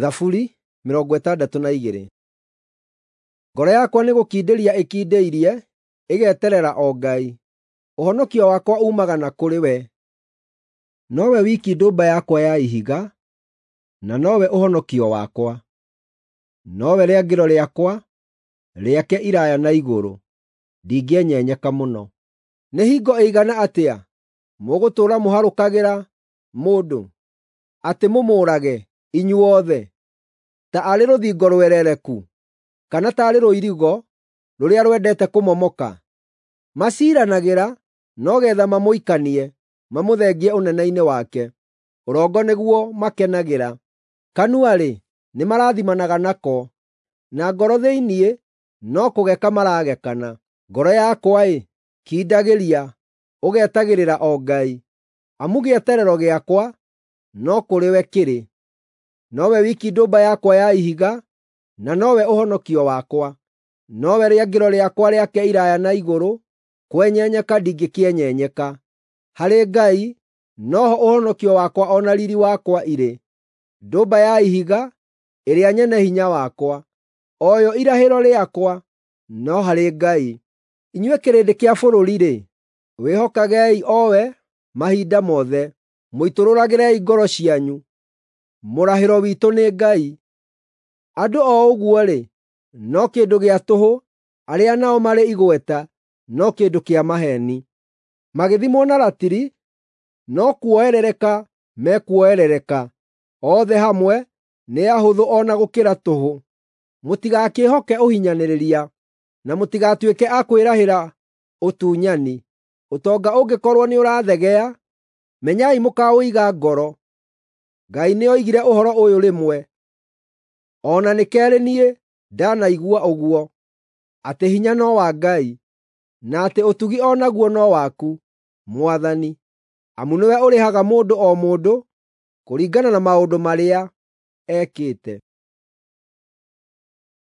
Thaburi 62. Ngoro yakwa nĩgũkindĩria ĩkindĩirie, ĩgeterera o Ngai. Ũhonokio wakwa uumaga na kũrĩ we. Nowe wiki ndũmba yakwa ya ihiga, na nowe ũhonokio wakwa. Nowe rĩangĩro rĩakwa, rĩake iraaya na igũrũ, ndingĩenyenyeka mũno. Nĩ hingo ĩigana atĩa mũgũtũũra mũharũkagĩra mũndũ, atĩ mũmũũrage, inyuothe, ta arĩ rũthingo rwerereku, kana taarĩ rũirigo rũrĩa rwendete kũmomoka? Maciiranagĩra no getha mamũikanie, mamũthengie ũnene-inĩ wake. Ũrongo nĩguo makenagĩra. Kanua-rĩ, nĩmarathimanaga nako, na ngoro thĩinĩ no kũgeka maragekana. Ngoro yakwa-ĩ, kindagĩria, ũgetagĩrĩra o Ngai, amu gĩeterero gĩakwa no kũrĩ we kĩrĩ. Nowe wiki ndũmba yakwa ya ihiga, na nowe ũhonokio wakwa. Nowe rĩangĩro rĩakwa rĩake iraaya na igũrũ, kwenyenyeka ndingĩkĩenyenyeka. Harĩ Ngai noho ũhonokio wakwa o na riiri wakwa irĩ, ndũmba ya ihiga ĩrĩa nyene hinya wakwa, o yo irahĩro rĩakwa no harĩ Ngai. Inyuĩ kĩrĩndĩ kĩa bũrũri-rĩ, wĩhokagei o we mahinda mothe, mũitũrũragĩrei ngoro cianyu. Mũrahĩro witũ nĩ Ngai. Andũ o ũguo-rĩ, no kĩndũ gĩa tũhũ, arĩa nao marĩ igweta no kĩndũ kĩa maheeni. Magĩthimwo na ratiri, no kuoerereka mekuoerereka, othe hamwe nĩ ahũthũ o na gũkĩra tũhũ. Mũtigakĩĩhoke ũhinyanĩrĩria, na mũtigatuĩke a kwĩrahĩra ũtunyani. Ũtonga ũngĩkorwo nĩũrathegea, menyai mũkaũiga ngoro. Ngai nĩoigire ũhoro ũyũ rĩmwe, o na nĩ keerĩ niĩ ndanaigua ũguo, atĩ hinya no wa Ngai, na atĩ ũtugi o naguo no waku, Mwathani, amu nĩwe ũrĩhaga mũndũ o mũndũ kũringana na maũndũ marĩa ekĩte.